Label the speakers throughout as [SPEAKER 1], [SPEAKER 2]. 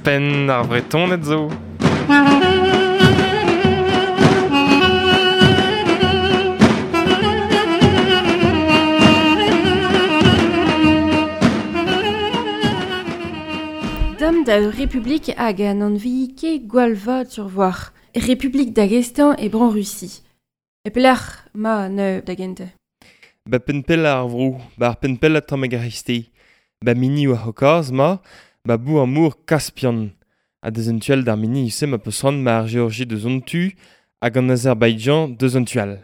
[SPEAKER 1] Penn ar Vretoned zo.
[SPEAKER 2] Dam da ur republik hag an anvi ket gwall vat sur voir. Republik Dagestan e bran Russie. E pelec'h ma ne da gentañ.
[SPEAKER 1] Ba penn-pell ar vro, ba ar penn-pell tamm hag ar c'hreisteiz. Ba mini war C'haucase ma, ba bou ar mor Kaspian. Ha deus un tu all d'ar mini se ma peus c'hoant ma ar Georgie deus an tu hag an Azerbaïdjan deus an tu all.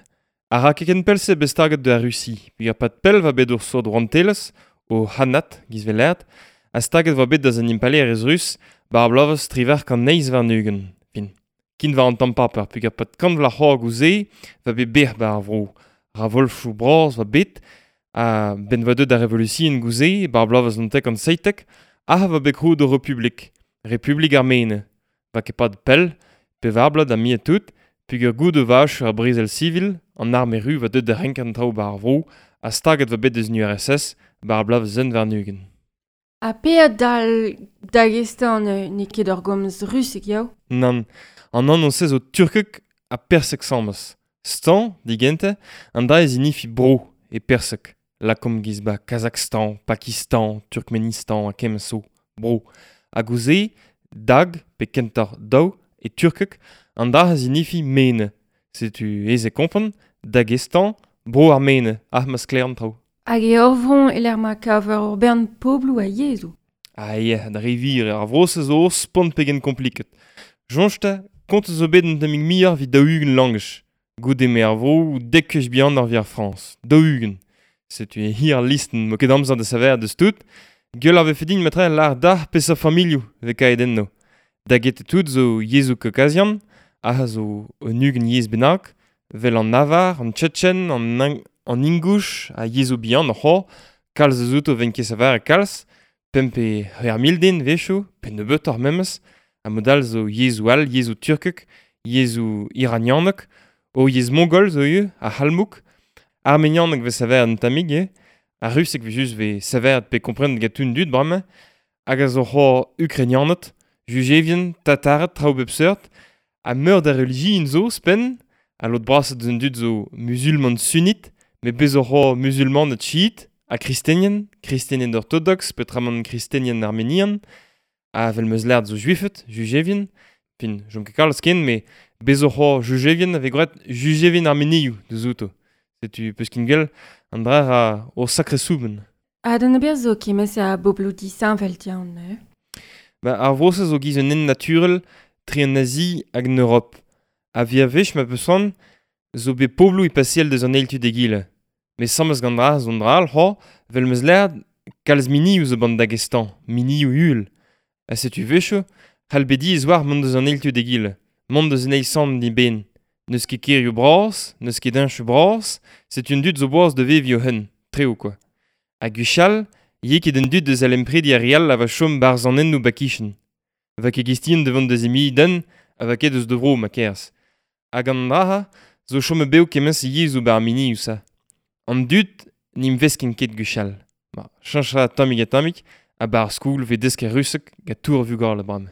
[SPEAKER 1] A ra ket ken pell-se bet staget de ar Russie. Peogwir pad pell va bet ur sort rouantelezh, o Khanat, giz velert, ha staget va bet deus an impalaerezh rus ba ar bloavezh 1928. Fin. Kin war an tamm paper, peogwir pad kant vloaz c'hoar gouze va bet bec'h ba ar vro. Ra volfoù bras va bet, ha ben va deut ar revolution gouze, ba ar bloavezh 1917, ha va bet krouet ur republik, Republik Armene. Va ket pad pell, pevar bloaz da mi tout, peogwir goude vach ar brezel sivil, an arme ru va deut da renkañ an traoù ba ar vro, ha staget va bet deus an URSS ba ar bloavezh 29.
[SPEAKER 2] Ha pe dal Dagestan n'eo ket ur gomz rusek yaou?
[SPEAKER 1] Nann, an anv-se zo turkek ha persek samas. Stan, digente, an dra ez inifi bro e persek. Lakaomp giz ba Kazakhstan, Pakistan, Turkmenistan ha kement zo, bro. Hag ouzh dag pe kentoc'h daou e turkek, an dra a zinifi mene. Setu aes e kompren, Dagestan, bro ar mene, ah ma sklaer an traoù.
[SPEAKER 2] Hag e ur vro e-lec'h ma kaver ur bern pobloù ha yezhoù.
[SPEAKER 1] Ah ya, da re vir, ar vro-se zo spont pegen kompliket. Soñj 'ta, kont zo bet un tammig muioc'h evit 40 langaj. Goude me ar vro dek gwech bihanoc'h evit ar Frañs. 40. Setu e hir al listenn, 'mo ket amzer da saver deus tout. Gwell a vefe din matre lâr dac'h peseurt familhoù 'vez kaet enno. Da get tout zo yezhoù kaokazian, aze zo un 20 yezh bennak, 'vel an avar, an tchetchen, an ingouch ha yezhoù bihan oc'h kalz eus outo 'vent ket saver kalz, pemp pe c'hwec'h mil den 'wechoù, pe nebeutoc'h memes, ha mod all zo yezhoù all, yezhoù turkek, yezhoù iranianek, o yezh mongol zo ivez, ar c'halmouk, armenianeg 'vez savet un tammig ivez, ar ruseg 'vez just 'vez savet pe komprenet gant un dud bremañ, hag a zo c'hoazh ukrainianed, jujevien, tatared, traoù bep seurt, ha meur da relijion zo ouzhpenn, ha lod brasañ deus an dud zo muzulman sunnit, met bez zo c'hoazh muzulmaned chiit ha kristenien, kristenien ortodoks peotramant kristenien armenian, ha 'vel 'm eus lâret zo juifed, jujevien, fin, chom ket kalz ken, met bez zo c'hoazh jujevien a vez graet jujevien armenioù deus outo. Setu peus ket gwell, an dra ra o sakre soubenn.
[SPEAKER 2] Ha d'an ober zo kement-se a bobloù disheñvel diaon neuze.
[SPEAKER 1] Ba, ar vro-se zo giz un hent naturel tre an Azi hag an Europ. Ha via wech ma peus c'hoant zo bet pobloù e paseal deus an eil tu d'egile. Met sammez gant dra zo un dra all c'hoazh, 'vel 'm eus lâret, kalz minioù zo ban Dagestan, minioù uhel. Ha setu 'wechoù, c'hall bet diaes war mont deus an eil tu d'egile, mont deus an eil samm d'eben. N'eus ket kêrioù bras, n'eus ket heñchoù bras, setu an dud zo boas da veviñ o-hun, treo kwa. Ha gwechall, 'ye ket an dud deus alemprediñ ar re all a va chom 'barzh an hennoù 'ba-kichen. Va ket gestien da vont da zemiñ den, ha va ket eus da vro ma kerz. Hag an dra zo chomet bev kement-se yezhoù 'ba ar minioù-se. An dud n'int veskint ket gwechall. Ma, cheñch a ra tammig ha tammig, ha 'ba ar skol 'vez desket ruseg gant tour vugale bremañ.